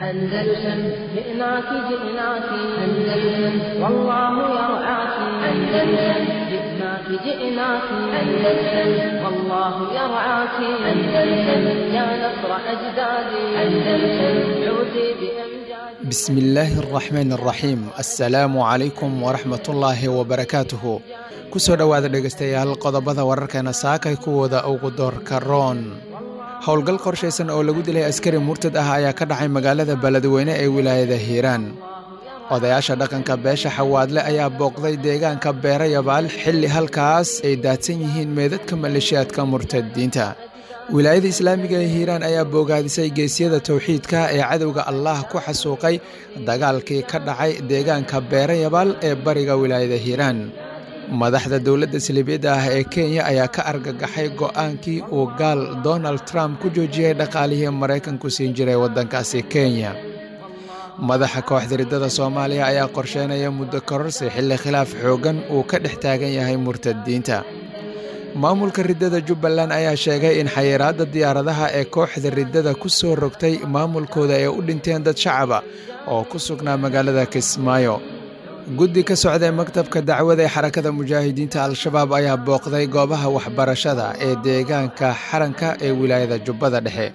أندلسن جئناك جئناك أندلسن والله يرعاك أندلسن جئناك جئناك أندلسن والله يرعاك أندلسن يا نصر أجدادي أندلسن عودي بأمجادي. بسم الله الرحمن الرحيم. Assalaamu calaykum waraxmatullaahi wabarakaatuhu. Kusoo dhowaada dhegaystayaal qodobada wararkeena saakay kuwooda ugu doorka roon. Howlgal qorshaysan oo lagu dilay askari murtad ah ayaa ka dhacay magaalada Beledweyne ee wilaayada Hiiraan. Odayaasha dhaqanka beesha Xawaadle ayaa booqday deegaanka Beerayabaal xilli halkaas ay daadsan yihiin meedadka maleeshiyaadka murtadiinta. Wilaayada islaamiga ee Hiiraan ayaa boogaadisay geesyada towxiidka ee cadowga Allah ku xasuuqay dagaalkii ka dhacay deegaanka Beerayabaal ee bariga wilaayada Hiiraan. Madaxda dowladda saliibiyadda ah ee Kenya ayaa ka argagaxay go'aankii uu gaal Donald Trump ku joojiyey dhaqaalihii Maraykanku siin jiray waddankaasi Kenya. Madaxa kooxda riddada Soomaaliya ayaa qorsheynaya muddo kororsi xilli khilaaf xooggan uu ka dhex taagan yahay murtadiinta. Maamulka riddada Jubbaland ayaa sheegay in xayiraadda diyaaradaha ee kooxda riddada ku soo rogtay maamulkooda ay u dhinteen dad shacaba oo ku sugnaa magaalada Kismaayo. Guddi ka socday maktabka dacwada ee Xarakada Mujaahidiinta Al-Shabaab ayaa booqday goobaha waxbarashada ee deegaanka Xaranka ee wilaayada Jubbada Dhexe.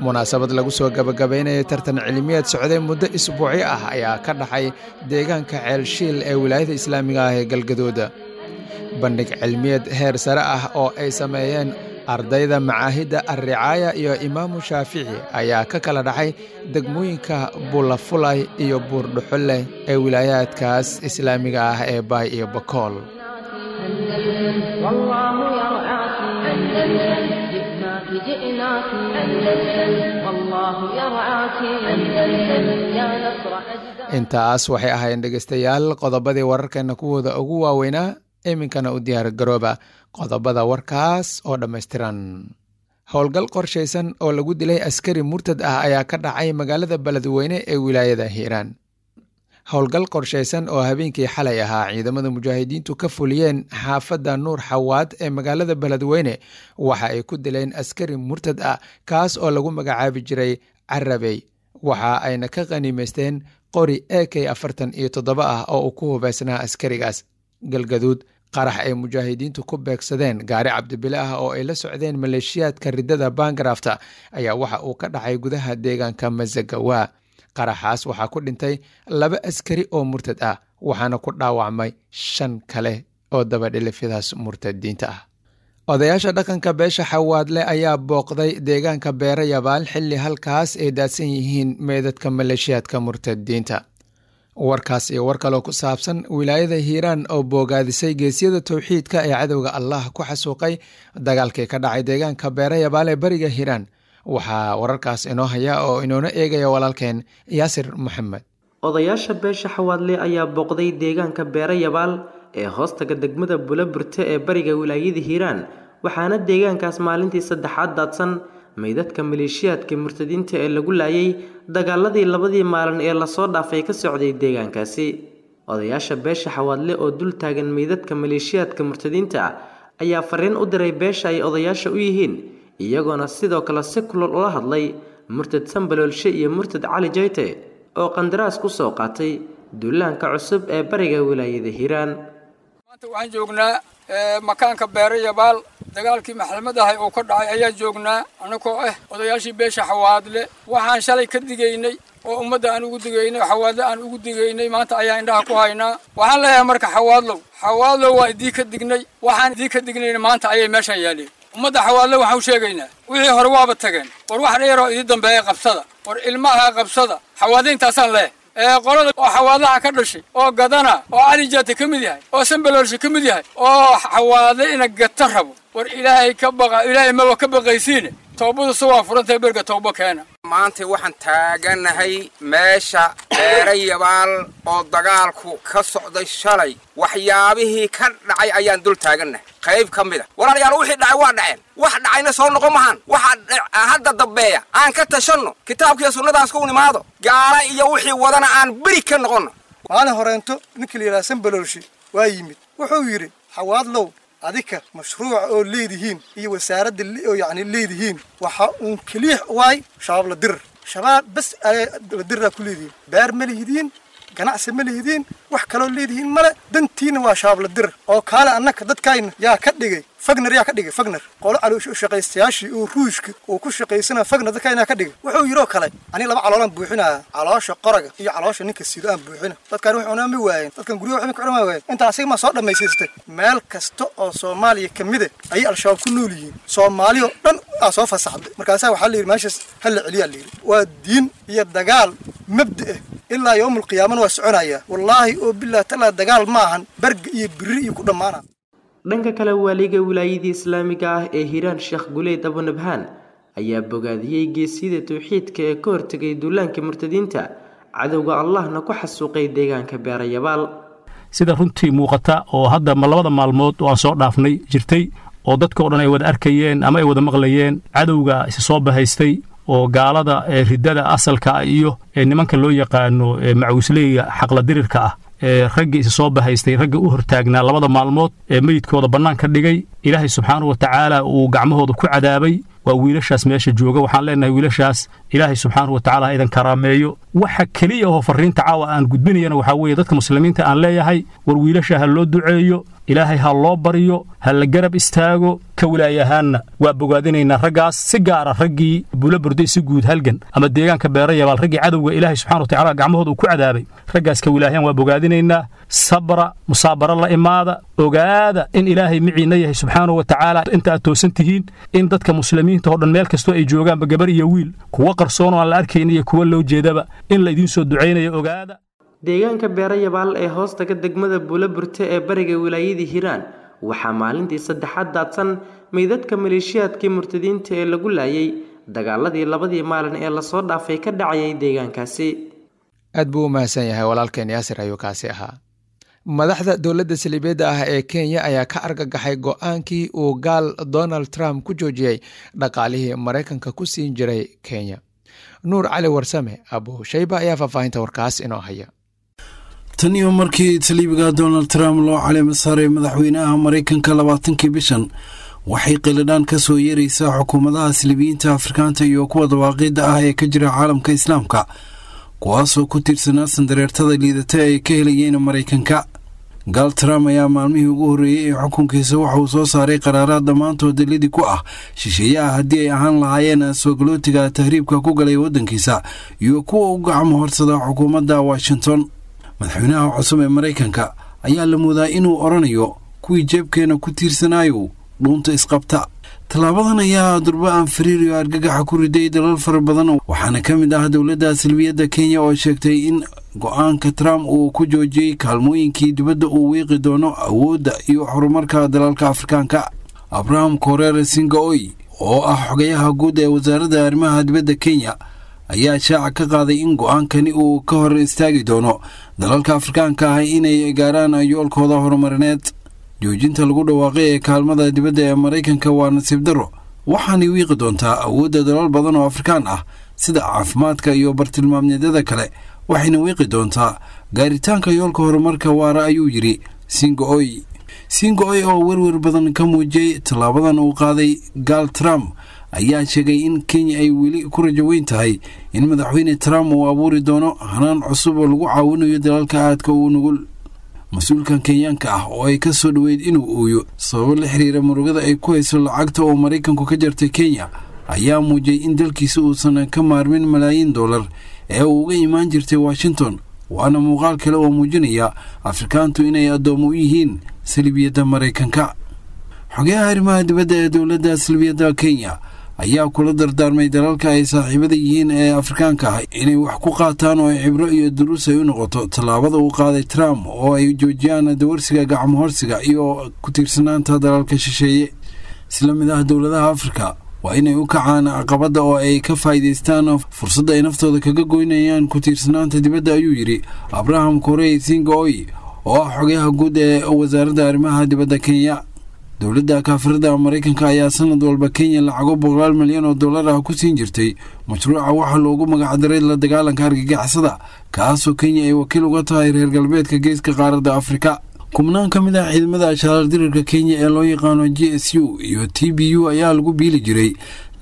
Munaasabad lagu soo gabagabaynayay tartan cilmiyeed socday muddo isbuucyo ah ayaa ka dhacay deegaanka Ceelshiil ee wilaayada islaamiga ah ee Galgaduud. Bandhig cilmiyeed heer sare ah oo ay sameeyeen ardayda macaahidda Alricaaya iyo Imaamu Shaafici ayaa ka kala dhacay degmooyinka Bulafulay iyo Buurdhuxulleh ee wilaayaadkaas islaamiga ah ee Baay iyo Bakool. أندلسن والله يرعاك أندلسن جئناك جئناك أندلسن والله يرعاك أندلسن يا نصر أجدادي. Intaas waxay ahaayeen dhegaystayaal qodobadii wararkeena kuwooda ugu waaweynaa. Iminkana u diyaar garooba qodobada warkaas oo dhammaystiran. Howlgal qorshaysan oo lagu dilay askari murtad ah ayaa ka dhacay magaalada Beledweyne ee wilaayada Hiiraan. Howlgal qorshaysan oo habeenkii xalay ahaa ciidamada mujaahidiintu ka fuliyeen xaafadda Nuur Xawaad ee magaalada Beledweyne waxa ay ku dileen askari murtad ah, kaas oo lagu magacaabi jiray Carabey. Waxa ayna ka qaniimaysteen qori AK 47 ah oo uu ku hubaysnaa askarigaas. Galgaduud, qarax ay mujaahidiintu ku beegsadeen gaari cabdibile ah oo ay la socdeen maleeshiyaadka riddada Bangarafta ayaa waxa uu ka dhacay gudaha deegaanka Masagawa. Qaraxaas waxaa ku dhintay 2 askari oo murtad ah, waxaana ku dhaawacmay 5 kale oo dabadhilifyadaas murtadiinta ah. Odayaasha dhaqanka beesha Xawaadle ayaa booqday deegaanka Beerayabaal xilli halkaas ay daadsan yihiin meedadka maleeshiyaadka murtadiinta. Warkaas iyo war kaloo ku saabsan wilaayada Hiiraan oo boogaadisay geesyada towxiidka ee cadowga Allah ku xasuuqay dagaalkii ka dhacay deegaanka Beerayabaal ee bariga Hiiraan, waxaa wararkaas inoo haya oo inoona eegaya walaalkeen Yaasir Maxamed. Odayaasha beesha Xawaadle ayaa booqday deegaanka Beerayabaal ee hoostaga degmada Buulaburte ee bariga wilaayada Hiiraan, waxaana deegaankaas maalintii saddexaad daadsan meydadka maleeshiyaadka murtadiinta ee lagu laayay dagaaladii labadii maalin ee lasoo dhaafay ka socday deegaankaasi. Odayaasha beesha Xawaadle oo dul taagan meydadka maleeshiyaadka murtadiinta ah ayaa fariin u diray beesha ay odayaasha u yihiin, iyagoona sidoo kale si kulul ula hadlay murtad Sambaloolshe iyo murtad Cali Jayte oo qandaraas ku soo qaatay duulaanka cusub ee bariga wilaayada Hiiraan. Maanta waxaan joognaa makaanka Beerayabaal, dagaalkii maxkamad ahay oo ka dhacay ayaa joognaa, anagoo ah odayaashii beesha Xawaadle. Waxaan shalay ka digaynay oo ummadda aan ugu digaynay, Xawaadle aan ugu digaynay, maanta ayaa indhaha ku haynaa. Waxaan leeyahay marka Xawaadlow, Xawaadlow, waa idii ka dignay. Waxaan idii ka dignayna maanta ayay meeshan yaaleen. Ummadda Xawaadle waxaan u sheegaynaa, wixii hore waaba tageen, war wax dheeroo idii dambeeya qabsada, war ilmaha qabsada. Xawaadle intaasaan leeyahay. Ee qolada oo Xawaadlaha ka dhashay oo gadana oo Cali Jaate ka mid yahay oo Sambaloolshe ka mid yahay oo Xawaadle ina gata rabo, war Ilaahay ka baqa, Ilaahay maba ka baqaysiine. Toobadu se waa furantahay, berga toobo keena. Maanta waxaan taaganahay meesha Beerayabaal oo dagaalku ka socday shalay. Waxyaabihii ka dhacay ayaan dul taagannahay qayb ka mid a. Walaalayaal, wixii dhacay waa dhaceen, wax dhacayna soo noqon mahaan. Waxa hadda dambeeya aan ka tashanno, kitaabkiiyo sunnadaas ku nimaado, gaala iyo wixii wadana aan beri ka noqonno. Maalin horeento ninkii la yidhaha Sambaloolshe waa yimid, wuxuu yidhi: Xawaadlow, adika mashruuca oo leedihiin iyo wasaaradda oo yacni leedihiin waxa uun keliix waay shabaab la dirir. Shabaab bas la diraa ku leedihiin, beer ma lihidiin, ganacsi ma lihidiin, wax kaloo leedihiin male. Dantiina waa shabaab la dir oo kaale. Annaka dadkayna yaa ka dhigay Fagner, yaa ka dhigay Fagner, qolo shaqaystayaashii oo Ruushka uu ku shaqaysana Fagner dadkayna ka dhigay. Wuxuu yidhoo kale, aniga laba caloolaan buuxinaya, caloosha qoraga iyo caloosha ninka sido aan buuxina. Dadkaan wax cunaa ma waayeen, dadkan guryaha waxba ka cunaa ma waayeen. Intaa asiga ma soo dhammaysaystay? Meel kasta oo Soomaaliya ka mid ah ayay Al-Shabaab ku nool yihiin. Soomaaliya oo dhan aa soo fasaxday. Markaasaa waxaa la yidhi meeshaas ha la celiyaa la yidhi. Waa diin iyo dagaal mabda ah, ilaa yowmul qiyaamana waa soconaya. Wallaahi oo billahi talaa, dagaal maahan berga iyo biri iyo ku dhammaana. Dhanka kale, waaliga wilaayadii islaamiga ah ee Hiiraan, Sheekh Guleyd Abunabhaan, ayaa bogaadiyey geesiyada towxiidka ee ka hortegay duulaanka murtadiinta, cadowga Allahna ku xasuuqay deegaanka Beerayabaal. Sida runtii muuqata oo hadda ma labada maalmood oo aan soo dhaafnay jirtay oo dadka o dhan ay wada arkayeen ama ay wada maqlayeen, cadowga isa soo bahaystay oo gaalada ee riddada asalka ah iyo nimanka loo yaqaano macawisleyga xaqladirirka ah, ee raggii isa soo bahaystay, ragga u hortaagnaa labada maalmood ee meyidkooda bannaan ka dhigay, Ilaahay subxaanahu wa tacaala uu gacmahooda ku cadaabay, waa wiilashaas meesha jooga. Waxaan leenahay wiilashaas Ilaahay subxaanahu wa tacala ha idan karaameeyo. Waxa keliya oo farriinta caawa aan gudbinayana waxaa weeye dadka muslimiinta aan leeyahay, war wiilasha ha loo duceeyo, Ilaahay ha loo baryo, ha la garab istaago. Ka wilaaya ahaanna waa bogaadinaynaa raggaas, si gaara raggii Buula Burday, si guud halgan ama deegaanka Beerayabaal, raggii cadowga Ilaahay subxana wa tacala gacmahooda uu ku cadaabay. Raggaas ka wilaayaan waa bogaadinaynaa. Sabra, musaabaro la imaada, ogaada in Ilaahay miciinna yahay subxaanahu wa tacaala inta aad toosan tihiin, in dadka muslimiinta oo dhan meel kastoo ay joogaanba, gabar iyo wiil, kuwa qarsoon oo aan la arkayn iyo kuwa loo jeedaba, in la idiin soo ducaynayo ogaada. Deegaanka Beerayabaal ee hoostaga degmada Buulaburte ee bariga wilaayadii Hiiraan waxaa maalintii saddexaad daadsan meydadka maleeshiyaadkii murtadiinta ee lagu laayay dagaaladii labadii maalin ee lasoo dhaafay ka dhacayay deegaankaasi. Aad buu u mahadsan yahay walaalkeen Yaasir ayuu kaasi ahaa. Madaxda dowladda saliibeedda ah ee Kenya ayaa ka argagaxay go-aankii uu gaal Donald Trump ku joojiyey dhaqaalihii Maraykanka ku siin jiray Kenya. Nuur Cali Warsame Abu Shayba ayaa faahfaahinta warkaas inoo haya. Tan iyo markii saliibiga Donald Trump loo caleema saaray madaxweynaha Maraykanka 20-kii bishan, waxay qilidhaan ka soo yeeraysaa xukuumadaha saliibiyiinta Afrikaanta iyo kuwa dawaaqidda ah ee ka jira caalamka Islaamka, kuwaasoo ku tiirsanaa sandareertada liidata ay ka helayeen Maraykanka. Gaal Trump ayaa maalmihii ugu horreeyey ee xukunkiisa waxa uu soo saaray qaraaraad dhammaantood dalidii ku ah shisheeyaha, haddii ay ahaan lahaayeen soogolootiga tahriibka ku galay waddankiisa iyo kuwa u gacmo horsada xukuumadda Washington. Madaxweynaha cusub ee Maraykanka ayaa la moodaa inuu odhanayo kuwii jeebkeena ku tiirsanaayo dhuunta isqabta. Tallaabadan ayaa durba aan fariir iyo argagaxa ku riday dalal fara badan, waxaana ka mid ah dowladda salbiyadda Kenya oo sheegtay in go-aanka Trump uu ku joojiyey kaalmooyinkii dibadda uu wiiqi doono awoodda iyo horumarka dalalka Afrikaanka. Abraham Koreer Singaoy oo ah xogayaha guud ee wasaaradda arrimaha dibadda Kenya ayaa shaaca ka qaaday in go-aankani uu ka hor istaagi doono dalalka Afrikaanka ah inay gaaraan yoolkooda horumarineed. Joojinta lagu dhawaaqay ee kaalmada dibadda ee Maraykanka waa nasiib darro, waxaanay wiiqi doontaa awoodda dalal badan oo Afrikaan ah sida caafimaadka iyo bartilmaamyadada kale, waxayna wiiqi doontaa gaaritaanka yoolka horumarka waara, ayuu yidhi Singaoy. Singaoy oo werwer badan ka muujiyey tallaabadan uu qaaday gaal Trump ayaa sheegay in Kenya ay weli ku rajo weyn tahay in madaxweyne Trump uu abuuri doono hanaan cusub oo lagu caawinayo dalalka aadka uu nugul. Mas-uulkan Kenyaanka ah oo ay ka soo dhoweyd inuu ooyo sababo la xiriira murugada ay ku hayso lacagta oo Maraykanku ka jartay Kenya ayaa muujiyey in dalkiisa uusan ka maarmin malaayiin dollar ee uu uga imaan jirtay Washington, waana muuqaal kale oo muujinaya Afrikaantu inay addoommo u yihiin salibiyadda Maraykanka. Xogayaha arrimaha dibadda ee dowladda salbiyadda Kenya ayaa kula dardaarmay dalalka ay saaxiibada yihiin ee Afrikaanka ah inay wax ku qaataan oo ay cibro iyo duruus ay u noqoto tallaabada uu qaaday Trump, oo ay joojiyaan dawarsiga, gacmo horsiga iyo ku tiirsanaanta dalalka shisheeye. Isla mid ah dowladaha Afrika waa inay u kacaan caqabadda oo ay ka faa'iidaystaan fursadda ay naftooda kaga goynayaan ku tiirsanaanta dibadda, ayuu yidhi Abraham Korey Singaoy oo ah xogayaha guud ee wasaaradda arrimaha dibadda Kenya. Dowladda kaafirada Maraykanka ayaa sanad walba Kenya lacago boqolaal milyan oo dollar ah ku siin jirtay mashruuca waxaa loogu magacdaray la dagaalanka argagixisada, kaasoo Kenya ay wakiil uga tahay reer galbeedka geeska qaaradda Afrika. Kubnaan ka mid ah ciidamada ashaarar dirirka Kenya ee loo yaqaano G S U iyo T B U ayaa lagu biili jiray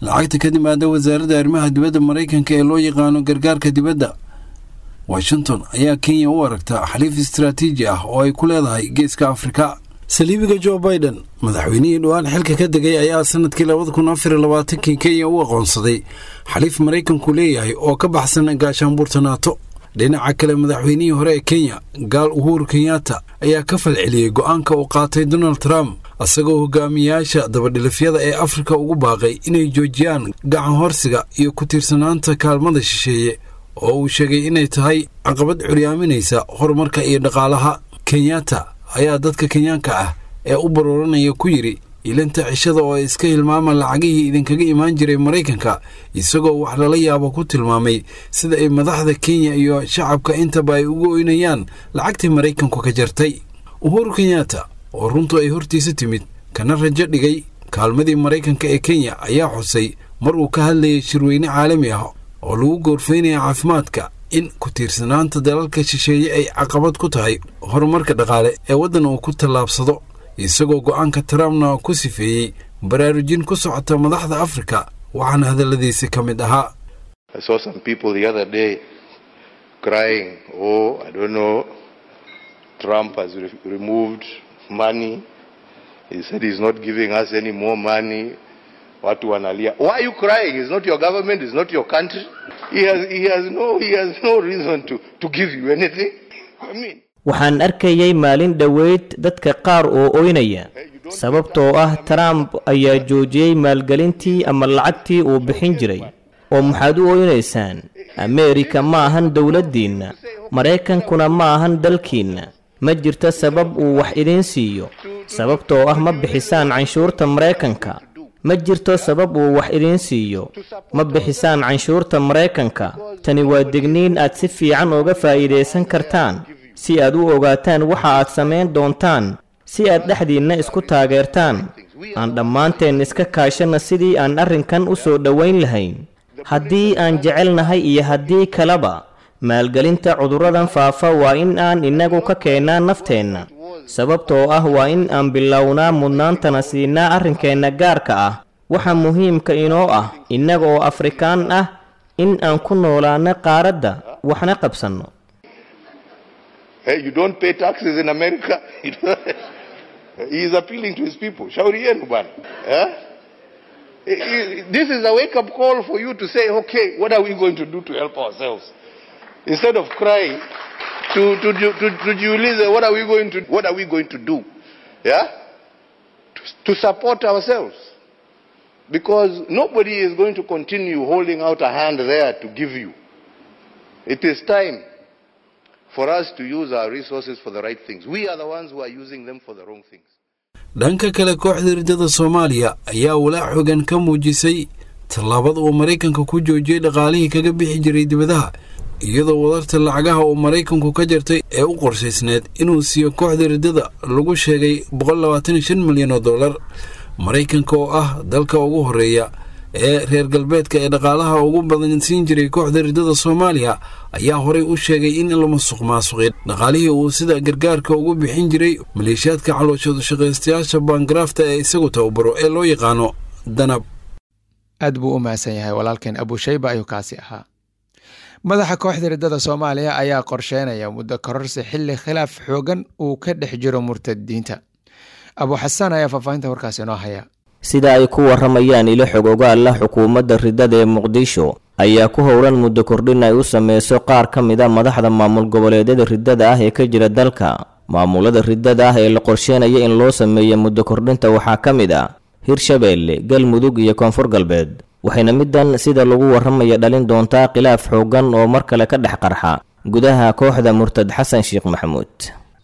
Lacagta ka timaada wasaaradda arrimaha dibadda Maraykanka ee loo yaqaano gargaarka dibadda. Washington ayaa Kenya u aragta xaliif istaraatiiji ah oo ay ku leedahay geeska Afrika. Saliibiga Joe Biden, madaxweynihii dhowaan xilka ka degay, ayaa sanadkii 2024kii Kenya u aqoonsaday xaliif Maraykanku leeyahay oo ka baxsan gaashaanbuurta Naato. Dhinaca kale, madaxweynihii hore ee Kenya, Gaal Uhuru Kenyatta, ayaa ka falceliyey go'aanka uu qaatay Donald Trump, isagoo hogaamiyaasha dabadhilifyada ee Afrika ugu baaqay inay joojiyaan gacan horsiga iyo ku tiirsanaanta kaalmada shisheeye, oo uu sheegay inay tahay caqabad curyaaminaysa horumarka iyo dhaqaalaha. Kenyatta ayaa dadka Kenyaanka ah ee u barooranaya ku yidhi ilinta cishada oo ay iska hilmaamaan lacagihii idinkaga imaan jiray Maraykanka, isagoo wax lala yaabo ku tilmaamay sida ay madaxda Kenya iyo shacabka intaba ay ugu oynayaan lacagtii Maraykanku ka jartay. Uhuru Kenyatta, oo runtu ay hortiisa timid kana rajo dhigay kaalmadii Maraykanka ee Kenya, ayaa xusay mar uu ka hadlayay shirweyne caalami ah oo lagu goorfaynaya caafimaadka in ku tiirsanaanta dalalka shisheeye ay caqabad ku tahay horumarka dhaqaale ee waddan uu ku tallaabsado, isagoo go'aanka Trumpna ku sifeeyey baraarujin ku socota madaxda Afrika. Waxaana hadalladiisi ka mid ahaa: I saw some people the other day crying, "Oh, I don't know, Trump has removed money. He said he's not giving us any more money." Watu wanalia. Why are you crying? It's not your government, it's not your country. He has no reason to give you anything. I mean, Waxaan arkayay maalin dhoweyd dadka qaar oo oynaya sababtoo ah Trump ayaa joojiyey maalgelintii ama lacagtii uu bixin jiray. Oo maxaad u oynaysaan? Ameerika ma ahan dowladdiinna, Maraykankuna ma ahan dalkiinna. Ma jirto sabab uu wax idiin siiyo, sababtoo ah ma bixisaan canshuurta Maraykanka. Ma jirto sabab uu wax idiin siiyo, ma bixisaan canshuurta Maraykanka. Tani waa digniin aad si fiican uga faa'iidaysan kartaan si aad u ogaataan waxa aad samayn doontaan, si aad dhexdiinna isku taageertaan. Aan dhammaanteen iska kaashanna sidii aan arrinkan u soo dhowayn lahayn, haddii aan jecelnahay iyo haddii kaleba. Maalgelinta cudurradan faafa waa in aan innagu ka keennaa nafteenna, sababtoo ah waa in aan bilownaa mudnaantana siinaa arrinkeenna gaarka ah, waxa muhiimka inoo ah innaga oo Afrikaan ah in aan ku noolaano qaaradda waxna qabsanno. Hey, you don't pay taxes in America. He is appealing to his people. Shauri yenu bwana. Eh? This is a wake-up call for you to say, "Okay, what are we going to do to help ourselves?" Instead of crying, to jiulize, what are we going to do? Yeah? To support ourselves. Because nobody is going to continue holding out a hand there to give you. It is time for us to use our resources for the right things. We are the ones who are using them for the wrong things. Dhanka kale, kooxda riddada Soomaaliya ayaa walaac xogan ka muujisay tallaabada uu Maraykanka ku joojiyey dhaqaalihii kaga bixi jiray dibadaha, iyadoo wadarta lacagaha uu Maraykanku ka jartay ee u qorshaysneed inuu siiyo kooxda riddada lagu sheegay 125 milyan oo dollar. Maraykanka oo ah dalka ugu horeeya ee reer galbeedka ee dhaqaalaha ugu badan siin jiray kooxda riddada Soomaaliya ayaa horey u sheegay in la musuq maasuqay dhaqaalihii uu sida gargaarka ugu bixin jiray maleeshiyaadka calooshooda shaqaystayaasha baangaraafta ee isagu tababaro ee loo yaqaano Danab. Aad buu u mahadsan yahay walaalkeen Abushayba ayuu kaasi ahaa. Madaxa kooxda riddada Soomaaliya ayaa qorsheynaya muddo kororsi xilli khilaaf xoogan uu ka dhex jiro murtadiinta. Abu Xasaan ayaa faahfaahinta warkaasi inoo haya. Sida ay ku warramayaan ilo xog ogaal ah, xukuumadda riddada ee Muqdisho ayaa ku howlan muddo kordhin ay u sameyso qaar ka mid a madaxda maamul goboleedyada riddada ah ee ka jira dalka. Maamulada riddada ah ee la qorsheynaya in loo sameeyo muddo kordhinta waxaa ka mid ah Hirshabeelle, Galmudug iyo Koonfur Galbeed, waxayna middan sida lagu warramaya dhalin doontaa khilaaf xooggan oo mar kale ka dhex qarxa gudaha kooxda murtad Xasan Sheekh Maxamuud.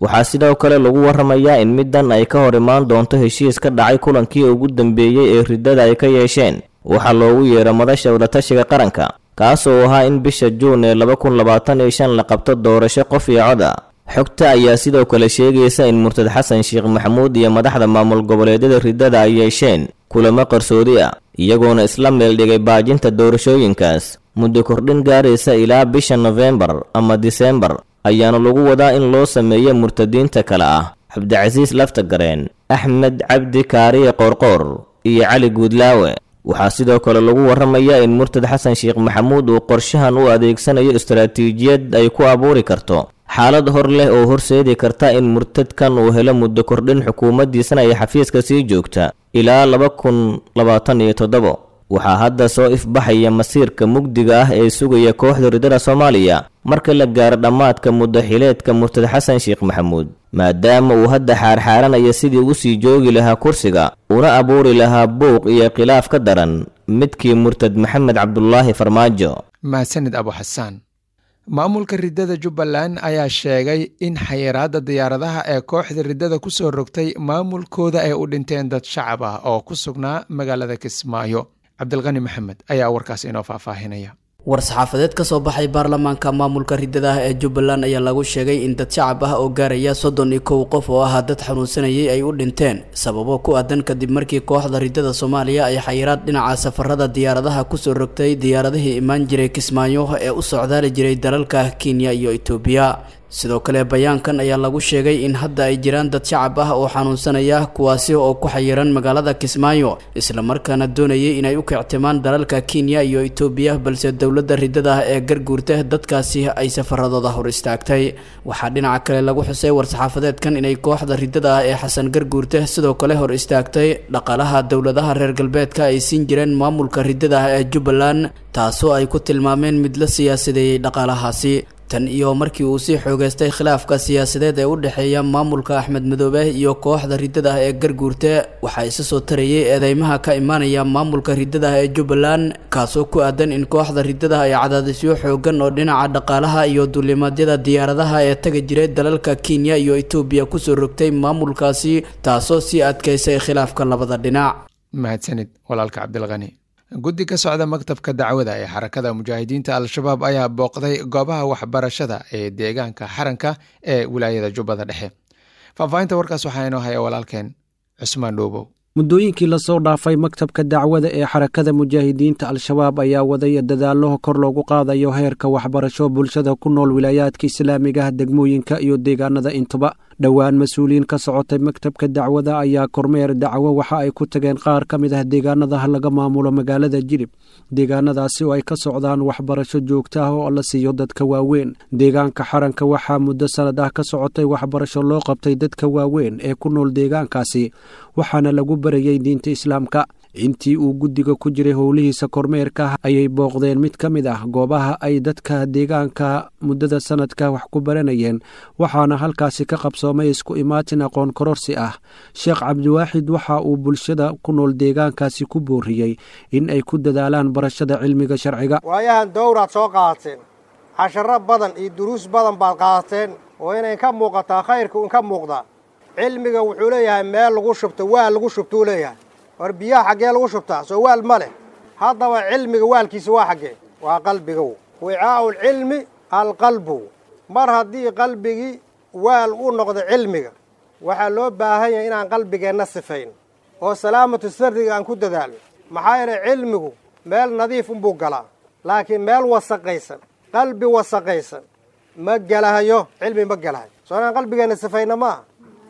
Waxaa sidoo kale lagu warramayaa in middan ay ka hor imaan doonto heshiis ka dhacay kulankii ugu dambeeyey ee riddada ay ka yeesheen waxaa loogu yeero Madasha Wadatashiga Qaranka, kaas oo ahaa in bisha Juun ee 2025 la qabto doorasho qof iyo cod ah. Xogta ayaa sidoo kale sheegaysa in murtad Xasan Sheekh Maxamuud iyo madaxda maamul goboleedyada riddada ay yeesheen kulamo qarsoodi ah, iyagoona isla meel dhigay baajinta doorashooyinkaas. Muddo kordhin gaaraysa ilaa bisha Nofembar ama Disembar ayaana lagu wadaa in loo sameeyo murtadiinta kale ah Cabdicasiis Laftagareen, Axmed Cabdi Kaariye Qoorqoor iyo Cali Guudlaawe. Waxaa sidoo kale lagu warramayaa in murtad Xasan Sheekh Maxamuud uu qorshahan u adeegsanayo istaraatiijiyad ay ku abuuri karto xaalad hor leh oo horseedi karta in murtadkan uu helo muddo kordhin xukuumaddiisana ay xafiiska sii joogta ilaa 2027. Waxaa hadda soo ifbaxaya masiirka mugdiga ah ee sugaya kooxda riddada Soomaaliya marka la gaaro dhammaadka muddo xileedka murtad Xasan Sheekh Maxamuud, maadaama uu hadda xaarxaaranaya sidii u sii joogi lahaa kursiga una abuuri lahaa buuq iyo khilaaf ka daran midkii murtad Maxamed Cabdulaahi Farmaajo. Mahadsanid Abu Xasaan. Maamulka riddada Jubbaland ayaa sheegay in xayiraadda diyaaradaha ee kooxda riddada ku soo rogtay maamulkooda ay u dhinteen dad shacab ah oo ku sugnaa magaalada Kismaayo. Cabdilqani Maxamed ayaa warkaas inoo faahfaahinaya. War-saxaafadeed ka soo baxay baarlamaanka maamulka riddada ah ee Jubbaland ayaa lagu sheegay in dad shacab ah oo gaaraya 31 qof oo ahaa dad xanuunsanayay ay u dhinteen sababo ku aadan kadib markii kooxda riddada Soomaaliya ay xayiraad dhinaca safarada diyaaradaha kusoo rogtay diyaaradihii imaan jiray Kismaayo ee u socdaali jiray dalalka Kenya iyo Itoobiya. Sidoo kale bayaankan ayaa lagu sheegay in hadda ay jiraan dad shacab ah oo xanuunsanaya, kuwaasi oo ku xayiran magaalada Kismaayo islamarkaana doonayay inay u kictimaan dalalka Kenya iyo Itoobiya, balse dowladda riddada ah ee garguurta dadkaasi ay safaradooda hor istaagtay. Waxaa dhinaca kale lagu xusay war-saxaafadeedkan inay kooxda riddada ah ee Xasan Garguurte sidoo kale hor istaagtay dhaqaalaha dowladaha reer galbeedka ay siin jireen maamulka riddada ah ee Jubbaland, taasoo ay ku tilmaameen mid la siyaasadeeyey dhaqaalahaasi. Tan iyo markii uu sii xoogeystay khilaafka siyaasadeed ee u dhexeeya maamulka Axmed Madoobe iyo kooxda riddada ah ee Garguurte, waxaa isa soo tarayay eedeymaha ka imaanaya maamulka riddada ah ee Jubbaland, kaasoo ku aadan in kooxda riddada ay cadaadisyo xoogan oo dhinaca dhaqaalaha iyo duulimaadyada diyaaradaha ee taga jiray dalalka Kenya iyo Itoobiya kusoo rogtay maamulkaasi, taasoo sii adkeysay khilaafka labada dhinac. Mahadsanid walaalka Cabdilqani. Guddi ka socda maktabka dacwada ee xarakada mujaahidiinta Al-Shabaab ayaa booqday goobaha waxbarashada ee deegaanka Xaranka ee wilaayada Jubbada Dhexe. Faahfaahinta warkaas waxaa inoo haya walaalkeen Cusmaan Dhuubow. Muddooyinkii lasoo dhaafay maktabka dacwada ee xarakada mujaahidiinta Al-Shabaab ayaa waday dadaallo kor loogu qaadayo heerka waxbarasho bulshada ku nool wilaayaadka islaamiga ah, degmooyinka iyo deegaanada intuba. Dhowaan mas-uuliyiin ka socotay maktabka dacwada ayaa kormeer dacwo waxa ay ku tageen qaar ka mid ah deegaanada laga maamulo magaalada Jilib, deegaanadaasi oo ay ka socdaan waxbarasho joogto ah oo la siiyo dadka waaweyn. Deegaanka Xaranka waxaa muddo sanad ah ka socotay waxbarasho loo qabtay dadka waaweyn ee ku nool deegaankaasi, waxaana lagu barayay diinta islaamka. Intii uu guddiga ku jiray howlihiisa kormeerka ayay booqdeen mid ka mid ah goobaha ay dadka deegaanka muddada sanadka wax ku baranayeen, waxaana halkaasi ka qabsoomay isku imaatin aqoon kororsi ah. Sheekh Cabdiwaaxid waxa uu bulshada ku nool deegaankaasi ku booriyey in ay ku dadaalaan barashada cilmiga sharciga. Waayahan dowraad soo qaadateen, casharo badan iyo duruus badan baad qaadateen oo inay ka muuqataa khayrka un ka muuqdaa. Cilmiga wuxuu leeyahay meel lagu shubto, waa lagu shubtuu leeyahay. War biyaha xaggee lagu shubtaa? Soo waal ma leh. Haddaba cilmiga waalkiisa waa xaggee? Waa qalbiga. Wicaa'u lcilmi alqalbu. Mar haddii qalbigii waal u noqdo cilmiga, waxaa loo baahan yahay inaan qalbigeenna sifayn oo salaamatu sarriga aan ku dadaalno. Maxaa yeelay cilmigu meel nadiif unbuu galaa, laakiin meel wasaqaysan, qalbi wasaqaysan ma gelahayo, cilmi ma gelahayo. Soo inaan qalbigeenna sifayna maaha.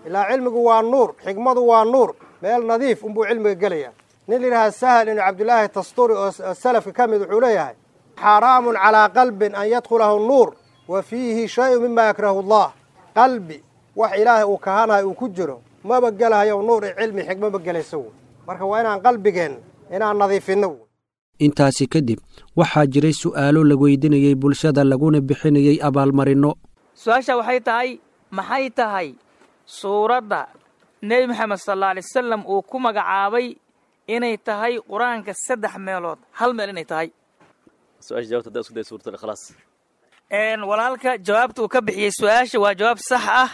Ilaa cilmigu waa nuur, xikmadu waa nuur, meel nadiif unbuu cilmiga gelayaa. Nin layidhaha Sahal ibnu Cabdilaahi Tasturi oo salafka ka mid wuxuu leeyahay: xaaraamun calaa qalbin an yadkhulahu nuur wa fiihi shayun mima yakrahu allah. Qalbi wax ilaahay uu kahanayo uu ku jiro maba gelahayo nuur iyo cilmi, xikmo ma gelayso. Marka waa inaan qalbigeenna inaan nadiifinno. Intaasi kadib waxaa jiray su'aalo la weydiinayey bulshada laguna bixinayey abaalmarinno. Su-aasha waxay tahay: maxay tahay suuradda Nebi Maxamed sal alla alay wasalam uu ku magacaabay inay tahay qur-aanka saddex meelood hal meel inay tahay? Walaalka jawaabta uu ka bixiyey su-aasha waa jawaab sax ah,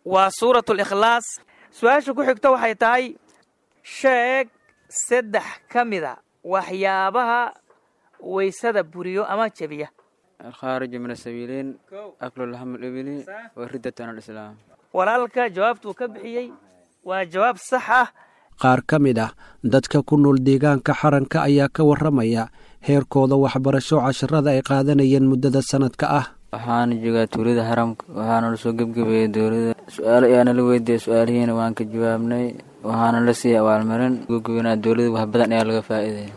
waa suuratu likhlaas. Su-aasha ku xigta waxay tahay: sheeg saddex ka mida waxyaabaha waysada buriyo ama jebiya. Alkhaariju min asabiiliin, aklu laxmu libili, waridatu an alislaam. Walaalka jawaabtuu ka bixiyey waa jawaab sax ah. Qaar ka mid ah dadka ku nool deegaanka Xaranka ayaa ka warramaya heerkooda waxbarasho, casharada ay qaadanayeen muddada sanadka ah. Waxaana joogaa tuulada Xaramka, waxaana la soo gebgebeeyey dowladda. Su-aalo ayaana la weydiiyey, su-aalihiina waan ka jawaabnay. Waxaana la siiyey abaalmarin gugubinaa dowladda, wax badan ayaa laga faa'iidaya.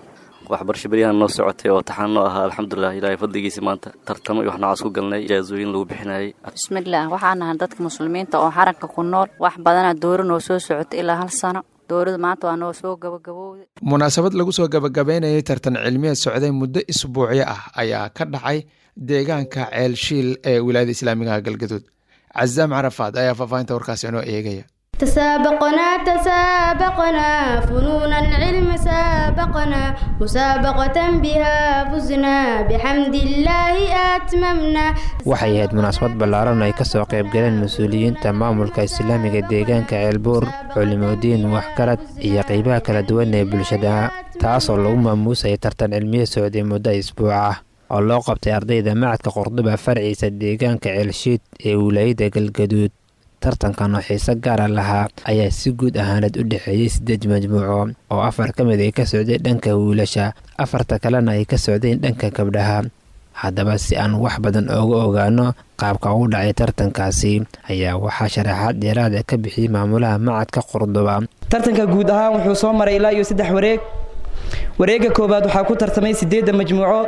Waxbarasho beryahan noo socotay oo taxaan noo ahaa, alxamdulilah, ilaahay fadligiisa maanta tartamo iyo wax noocaas ku galnay, ijaasooyin lagu bixinayay. Bismillaah, waxaan nahay dadka muslimiinta oo xaranka ku nool. Wax badanaa dowra noo soo socotay ilaa 1 sano. Dowrada maanta waa noo soo gabagabowday. Munaasabad lagu soo gabagabeynayay tartan cilmiyeed socday muddo isbuucyo ah ayaa ka dhacay deegaanka Ceelshiil ee wilaayada islaamigaha Galgaduud. Cazaam Carafaad ayaa faahfaahinta warkaasi inoo eegaya. تسابقنا تسابقنا فنون العلم سابقنا، مسابقة بها فزنا، بحمد الله أتممنا. Waxay ahayd munaasabad ballaaran ay ka soo qayb galeen mas-uuliyiinta maamulka islaamiga deegaanka Ceelbuur, culimodiin, waxgarad iyo qeybaha kala duwan ee bulshada, taasoo lagu maamuusayay tartan cilmiye socday muddo isbuuc ah oo loo qabtay ardayda macadka Qordoba farciisa deegaanka Ceelshiid ee wilaayada Galgaduud. Tartankan oo xiise gaara lahaa ayaa si guud ahaaneed u dhexeeyey 8 majmuuco oo 4 ka mid ay ka socdeen dhanka wiilasha, 4ta kalena ay ka socdeen dhanka gabdhaha. Haddaba, si aan wax badan ooga ogaano qaabka ugu dhacay tartankaasi, ayaa waxaa sharaxaad dheeraada ka bixiyey maamulaha macadka Qordoba. Tartanka guud ahaan wuxuu soo maray ilaa iyo 3 wareeg. Wareegga koowaad waxaa ku tartamay 8da majmuuco,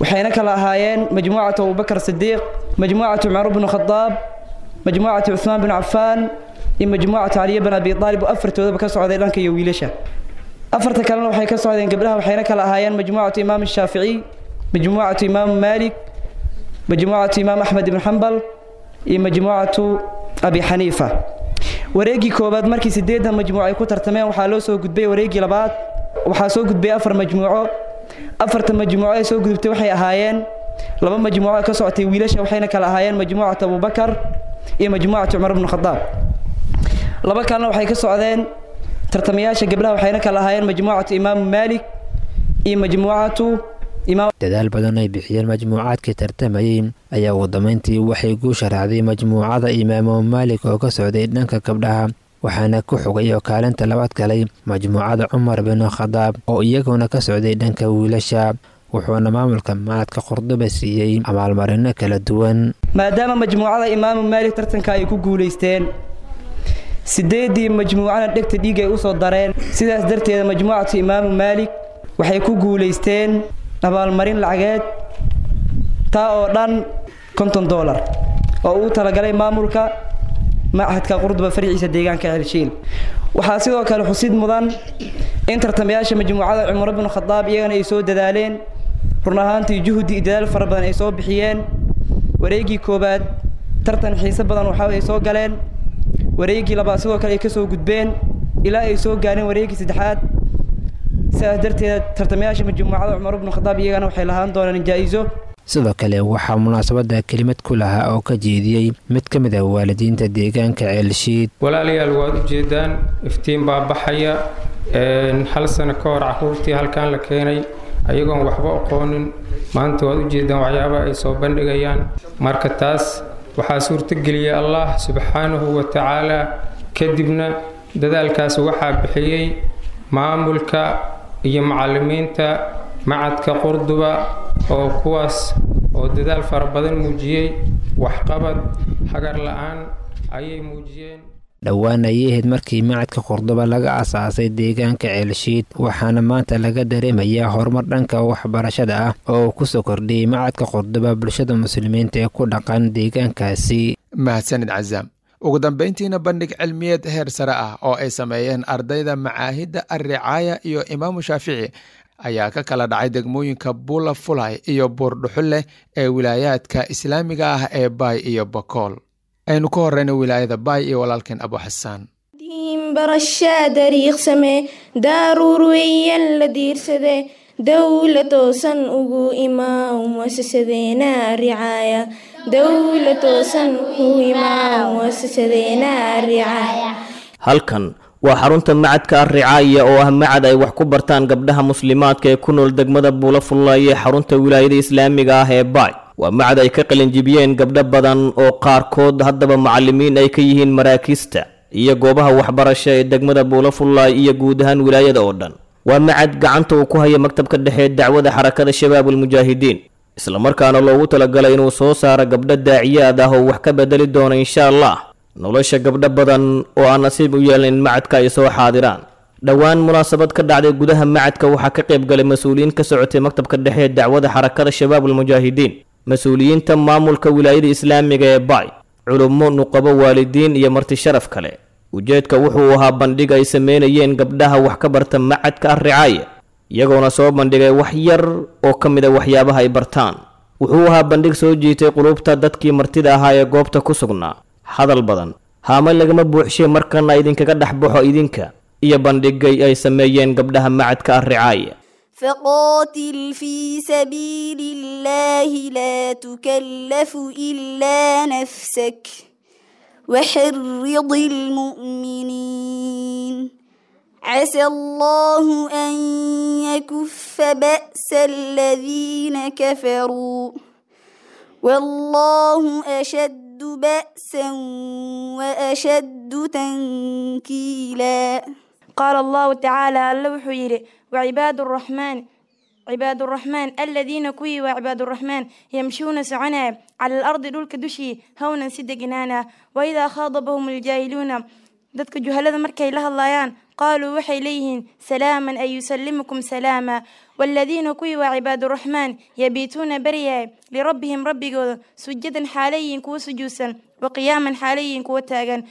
waxayna kala ahaayeen majmuucatu Abubakar Sidiiq, majmuucatu Cumar bnu Khadaab, majmuucatu Cuثmaan bin Cafaan iyo majmuucatu Caliya bin Abi Aalib, oo afartoodaba ka socday dhanka iyo wiilasha. Afarta kalena waxay ka socdeen gabdhaha, waxayna kala ahaayeen majmuucatu Imaam Shaafici, majmuucatu Imaam Maalik, majmuucatu Imaam Axmed ibn Xambal iyo majmuucatu Abi Xaniifa. Wareeggii koowaad markii 8da majmuuc ay ku tartameen, waxaa loo soo gudbay wareeggii labaad. Waxaa soo gudbay 4 majmuuco. Afarta majmuuco ee soo gudubtay waxay ahaayeen 2 majmuuco ka socotay wiilasha, waxayna kala ahaayeen majmuucatu Abubakar iyo majmuucatu Cumar ibn Khadaab. 2 kalena waxay ka socdeen tartamayaasha gabdhaha, waxayna kala ahaayeen majmuucatu Imaam Maalik iyo majmuucatu Imaam. Dadaal badan ay bixiyeen majmuucaadkii tartamayey ayaa ugu dambeyntii waxay guusha raacday majmuucada Imaamu Maalik oo ka socday dhanka gabdhaha, waxaana ku xogay oo kaalinta labaad galay majmuucada Cumar bin Khadaab oo iyaguna ka socday dhanka wiilasha, wuxuuna maamulka macadka Qordoba siiyey abaalmarino kala duwan. Maadaama majmuucada Imaamu Maalik tartanka ay ku guulaysteen, 8dii majmuucana dhegta dhiig ay usoo dareen, sidaas darteeda majmuucatu Imaamu Maalik waxay ku guulaysteen abaalmarin lacageed taa oo dhan $50 oo uu talagalay maamulka machadka Qurduba farciisa deegaanka Ceelshiil. Waxaa sidoo kale xusid mudan in tartamayaasha majmuucada Cumar ibn Khadaab iyagana ay soo dadaaleen, run ahaantii juhdi iyo dadaal fara badan ay soo bixiyeen. Wareeggii koowaad tartan xiise badan waxa ay soo galeen, wareeggii labaad sidoo kale ay ka soo gudbeen ilaa ay soo gaareen wareeggii saddexaad. Sidaas darteed tartamayaasha majmuucada Cumar ibn Khadaab iyagana waxay lahaan doonaan jaa'iso. Sidoo kale waxaa munaasabada kelimad ku lahaa oo ka jeediyey mid ka mid ah waalidiinta deegaanka Ceelshiid. Walaalayaal, waad ujeedaan, iftiin baa baxaya. 1 sano ka hor caruurtii halkan la keenay ayagoon waxba aqoonin, maanta waad ujeedaan waxyaabaha ay soo bandhigayaan. Marka taas waxaa suurtageliyay Allah subxaanahu wa tacaala, kadibna dadaalkaas waxaa bixiyey maamulka iyo macallimiinta macadka Qurduba, oo kuwaas oo dadaal fara badan muujiyey, waxqabad hagar la-aan ayay muujiyeen. Dhowaan ayay ahayd markii macadka Qordoba laga asaasay deegaanka Ceelshiid, waxaana maanta laga dareemayaa horumar dhanka waxbarashada ah oo uu kusoo kordhiyey macadka Qordoba bulshada muslimiinta ee ku dhaqan deegaankaasi. Mahadsanid Cazaam. Ugu dambeyntiina, bandhig cilmiyeed heer sare ah oo ay sameeyeen ardayda macaahidda Alricaaya iyo Imaamu Shaafici ayaa ka kala dhacay degmooyinka Buula Fulay iyo Buurdhuxulleh ee wilaayaadka islaamiga ah ee Baay iyo Bakool. Aynu ka horeyna wilaayada Baay iyo walaalkeen Abu Xasaan. Barashaa dariiqsame daaruur weeyaan la diirsade, dowla toosan ugu imaa muasasadeena ricaaya, dowla toosan ugu imaa muasasadeena ricaaya. Halkan waa xarunta macadka Alricaaya oo ah macad ay wax ku bartaan gabdhaha muslimaadka ee ku nool degmada Buula Fullaay ee xarunta wilaayada islaamiga ah ee Baay. Waa macad ay ka qalinjibiyeen gabdho badan oo qaarkood haddaba macallimiin ay ka yihiin maraakiista iyo goobaha waxbarasho ee degmada Buula Fullaay iyo guud ahaan wilaayada oo dhan. Waa macad gacanta uu ku haya maktabka dhexe ee dacwada xarakada Shabaabul Mujaahidiin, islamarkaana loogu talagalay inuu soo saaro gabdho daaciyaad ah oo wax ka bedeli doona insha Allah nolosha gabdho badan oo aan nasiib u yeelin in macadka ay soo xaadiraan. Dhowaan munaasabad ka dhacday gudaha macadka waxaa ka qayb galay mas-uuliyiin ka socotay maktabka dhexe ee dacwada xarakada Shabaabul Mujaahidiin, mas-uuliyiinta maamulka wilaayada islaamiga ee Baay, culummo, nuqabo, waalidiin iyo marti sharaf kale. Ujeedka wuxuu ahaa bandhig ay sameynayeen gabdhaha wax ka barta macadka Ar-Ricaaya, iyagoona soo bandhigay wax yar oo ka mid a waxyaabaha ay bartaan. Wuxuu ahaa bandhig soo jiitay qulubta dadkii martida ahaa ee goobta ku sugnaa. Hadal badan haama lagama buuxshay, markana idinkaga dhex baxo idinka iyo bandhigay ay sameeyeen gabdhaha macadka Ar-Ricaaya. فقاتل في سبيل الله لا تكلف إلا نفسك وحرض المؤمنين عسى الله أن يكف بأس الذين كفروا والله أشد بأسا وأشد تنكيلا. قال الله تعالى alla wuxuu yidhi وعباد الرحمن عباد الرحمن الذين kuwii waa عباد الرحمن يمشون soconaya على الأرض dhulka dushii hawnan si deganaana وإذا خاضبهم الجاهلون dadka juhalada markay la hadlayaan qaaluu waxay leeyihiin salaaman ay yusallimukum salaama. والذين kuwii waa عباد الرحمن yabiituuna baryaya lirabbihim rabbigooda sujadan xaalayiin kuwa sujuudsan وقياما xaalayiin kuwa taagan.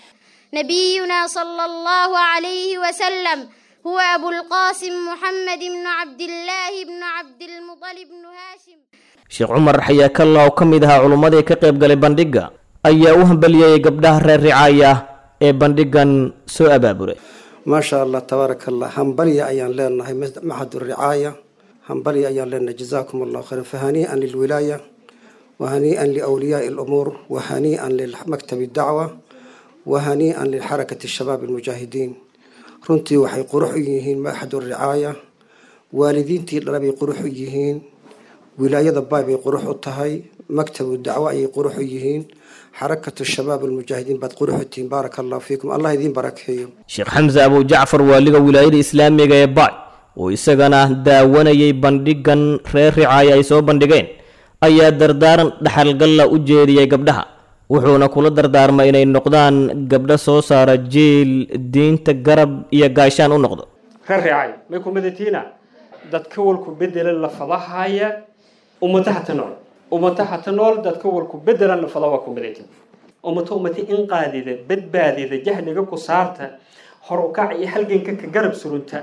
نبينا صلى الله عليه وسلم هو أبو القاسم محمد بن عبد الله بن عبد المطلب بن هاشم. Sheekh Cumar Xayaakalla oo ka mid ahaa culummadii ka qayb galay bandhigga ayaa u hambalyeeyay gabdhaha reer Ricaaya ee bandhiggan soo abaaburay. Maasha Allah, tabaaraka Allah, hambalya ayaan leenahay maxad ricaaya, hambalya ayaan leenahay, jazaakum Allah khayran, fahanii'an lilwilaaya wahanii'an liawliyaai alumuur wahanii'an limaktabi dacwa wahanii'an lixarakati shabaab almujaahidiin. Runtii waxay qurux u yihiin maxad ricaaya, waalidiintii dhala bay qurux u yihiin, wilaayada Baay bay qurux u tahay, maktabu dacwo ayay qurux u yihiin, xarakatu shabaab almujaahidiin baad qurux u tihiin. Baaraka allahu fiikum, Allah idiin barakeeyo. Sheekh Xamse Abu Jacfar, waaliga wilaayada islaamiga ee Baay oo isagana daawanayay bandhiggan reer Ricaaya ay soo bandhigeen, ayaa dardaaran dhaxalgalla u jeediyey gabdhaha, wuxuuna kula dardaarmay inay noqdaan gabdho soo saara jiil diinta garab iyo gaashaan u noqdo. Reer Ricaaya may ku midatiina dadka walku bedela lafadahaya ummadaha ta nool, ummadaha ta nool dadka walku bedelan lafada waa ku midatin ummato ummati inqaadida badbaadida jahliga ku saarta hor u kac iyo halganka ka garab surunta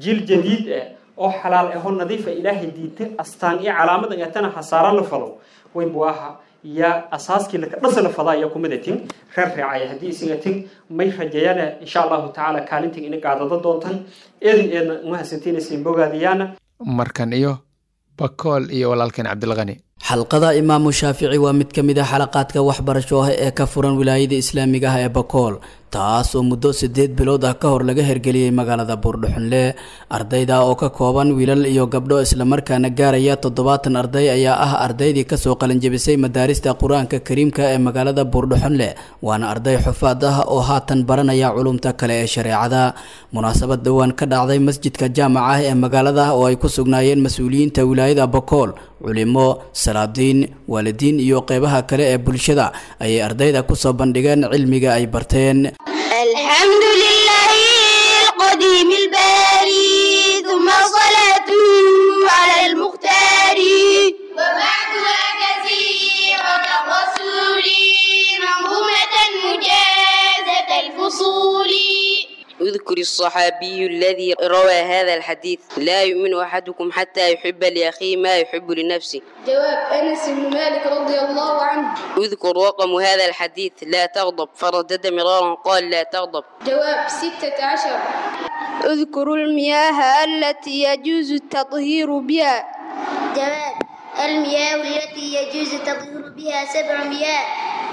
jiil jadiid ah oo xalaal ah oo nadiif ah Ilaahay diintay astaan iyo calaamad ay tana xasaara la falo way buaha ya asaaskii la dhasa la fadaa ya ku midatin. Reer Ricaaya haddii isingatin may rajayana insha Allahu tacaala kaalintin ina qaadada doontan eedin eedna uma hasantiin isin bogaadiyana. Markan iyo Bakool iyo walaalkeen Cabdilqani. Xalqada Imaamu Shaafici waa mid ka mid ah xalaqaadka waxbarasho ah ee ka furan wilaayada islaamiga ah ee Bakool, taas oo muddo 8 bilood ah ka hor laga hergeliyey magaalada Buurdhuxunle. Ardayda oo ka kooban wiilal iyo gabdho islamarkaana gaaraya 70 arday ayaa ah ardaydii kasoo qalinjebisay madaarista Qur-aanka Kariimka ee magaalada Buurdhuxunle, waana arday xufaad ah oo haatan baranaya culumta kale ee shareecada. Munaasabad dhowaan ka dhacday masjidka jaamaca ah ee magaalada oo ay ku sugnaayeen mas-uuliyiinta wilaayada Bakool, culimo, salaadiin, waalidiin iyo qeybaha kale ee bulshada ayay ardayda kusoo bandhigeen cilmiga ay barteen. الحمد لله القديم الباري ثم صلاته على المختار وبعدها كثيرة الرسول منظومة مجازة الفصول. اذكر الصحابي الذي روى هذا الحديث: لا يؤمن أحدكم حتى يحب لأخيه ما يحب لنفسه. جواب أنس بن مالك رضي الله عنه. اذكر رقم هذا الحديث: لا تغضب، فردد مرارا قال لا تغضب. جواب 16. اذكر المياه التي يجوز التطهير بها. جواب المياه التي يجوز التطهير بها 7 مياه: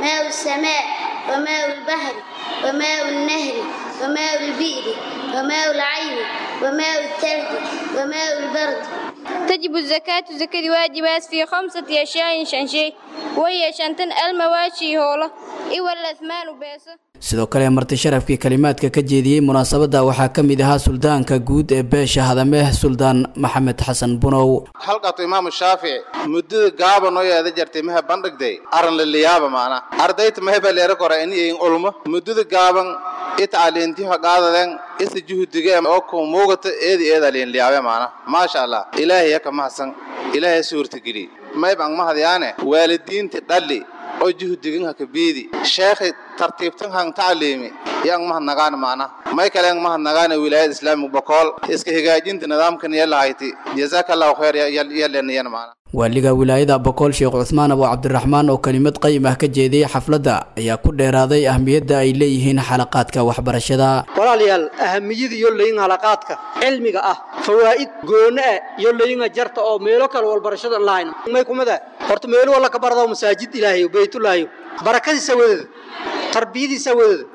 ماء السماء وماء البحر وماء النهر وماء البئر وماء العين وماء الثلج وماء البرد. تجب الزكاة زكاة واجبات في 5 أشياء شنشي وهي شنتن المواشي هولا إيوه الأثمان بيسة. Sidoo kale marti sharafkii kalimaadka ka jeediyey munaasabadda waxaa ka mid ahaa suldaanka guud ee beesha Hadameh, Suldaan Maxamed Xasan Bunow. Halqatu Imaamu Shaafici muddada gaaban oo yeeda jartay maha bandhigday aran la liyaaba maana ardayta maha leera kora in iyin ulmo muddada gaaban itacaliintiha qaadadeen isa juhdiga oo ku muugata eedi eeda liin liyaabe maana maasha Allah ilaahay ka mahadsan ilaahay suurtageli mayb ang mahadyaane waalidiinta dhali oo juhdigan ha ka biidi sheekhi tartiibtan han tacliimi yang mahadnagaan maana may kale yang mahadnagaan wilaayada islaamiga Bokool iska hagaajinta nidaamkan yalahayti jazakallahu khayr yaleenayana maana. Waaliga wilaayada Bokool Sheekh Cuthmaan Abu Cabdiraxmaan oo kelimad qayim ah ka jeediyey xafladda ayaa ku dheeraaday ahmiyadda ay leeyihiin xalaqaadka waxbarashada. Walaalayaal, ahamiyada iyo leeyihiin xalaqaadka cilmiga ah fawaa'id gooni ah iyo leeyihiin jarta oo meelo kale walbarashada lahayn may kumada horta meelo wala ka barado masaajid Ilaahay baytullaahi barakadiisa wadada tarbiyadiisa wadada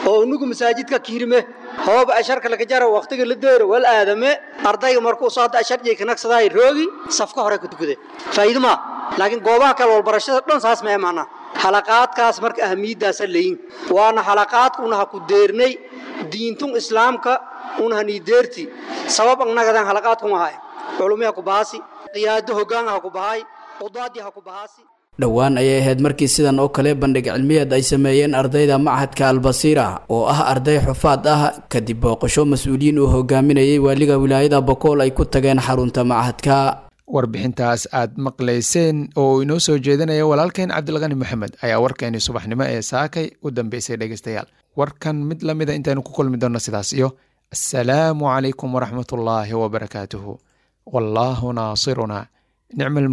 oo unugu masaajidka kiirme hoob asharka laga jaro waqtiga la deero wal aadame ardayga markuu soo ashar jeey kanaqsaday roogi safka hore ku tukude faa'iido ma laakiin goobaha kale walbarashada dhan saas ma imaana xalaqaadkaas marka ahmiyadaas leeyin waana xalaqaadka una ku deernay diintun islaamka una hani deerti sabab annagadan xalaqaadku ma hay culumiya ku baasi qiyaado hoggaan ha ku bahay qudaadi ha ku baasi. Dhowaan ayay ahayd markii sidan oo kale bandhig cilmiyeed ay sameeyeen ardayda machadka Albasiira oo ah arday xufaad ah kadib booqasho mas-uuliyiin uu hogaaminayay waaliga wilaayada Bokool ay ku tageen xarunta machadka. Warbixintaas aad maqlayseen oo inoo soo jeedinaya walaalkeen Cabdilqani Maxamed ayaa warkeeni subaxnimo ee saakay u dambeysay. Dhegeystayaal, warkan mid la mida intaynu ku kulmi doonno sidaas iyo assalaamu calaykum waraxmatullaahi wabarakaatuhu. Wallaahu naasiruna nicmal.